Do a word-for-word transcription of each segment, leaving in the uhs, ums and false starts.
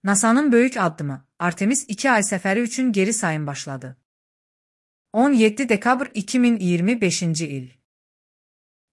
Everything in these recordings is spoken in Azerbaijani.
NASA'nın böyük addımı, Artemis iki ay səfəri üçün geri sayım başladı. on yeddi dekabr iki min iyirmi beşinci il.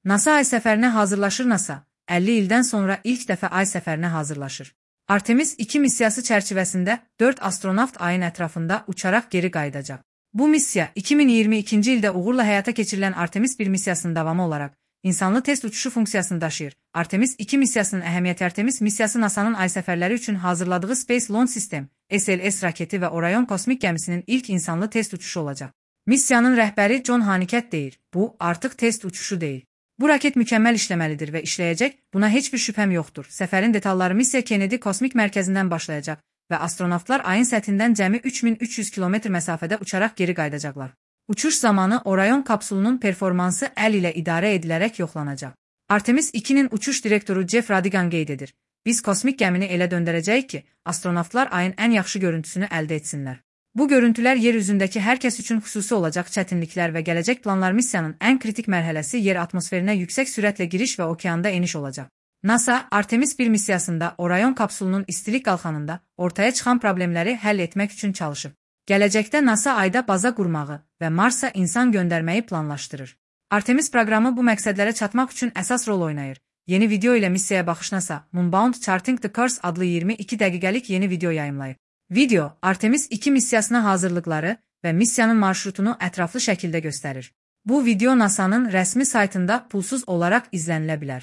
NASA ay səfərinə hazırlaşır. NASA, əlli ildən sonra ilk dəfə ay səfərinə hazırlaşır. Artemis iki missiyası çərçivəsində dörd astronavt ayın ətrafında uçaraq geri qayıdacaq. Bu missiya iki min iyirmi ikinci ildə uğurla həyata keçirilən Artemis bir missiyasının davamı olaraq insanlı test uçuşu funksiyasını daşıyır. Artemis iki missiyasının əhəmiyyəti Artemis missiyası NASA'nın ay səfərləri üçün hazırladığı Space Launch System (S L S) raketi və Orion kosmik gəmisinin ilk insanlı test uçuşu olacaq. Missiyanın rəhbəri John Hanekett deyir, bu artıq test uçuşu deyil. Bu raket mükəmməl işləməlidir və işləyəcək, buna heç bir şübhəm yoxdur. Səfərin detalları missiya Kennedy kosmik mərkəzindən başlayacaq və astronavtlar ayın səthindən cəmi üç min üç yüz kilometr məsafədə uçaraq geri qayıdacaqlar. Uçuş zamanı Orion kapsulunun performansı əl ilə idarə edilərək yoxlanacaq. Artemis ikinin uçuş direktoru Jeff Radigan qeyd edir. Biz kosmik gəmini elə döndərəcəyik ki, astronavtlar ayın ən yaxşı görüntüsünü əldə etsinlər. Bu görüntülər yer üzündəki hər kəs üçün xüsusi olacaq çətinliklər və gələcək planlar missiyanın ən kritik mərhələsi yer atmosferinə yüksək sürətlə giriş və okeanda eniş olacaq. NASA, Artemis bir missiyasında Orion kapsulunun istilik qalxanında ortaya çıxan problemləri həll etmək üçün çalışıb. Gələcəkdə NASA ayda baza qurmağı və Marsa insan göndərməyi planlaşdırır. Artemis proqramı bu məqsədlərə çatmaq üçün əsas rol oynayır. Yeni video ilə missiyaya baxış NASA, Moonbound Charting the Course adlı iyirmi iki dəqiqəlik yeni video yayımlayıb. Video, Artemis iki missiyasına hazırlıqları və missiyanın marşrutunu ətraflı şəkildə göstərir. Bu video NASA'nın rəsmi saytında pulsuz olaraq izlənilə bilər.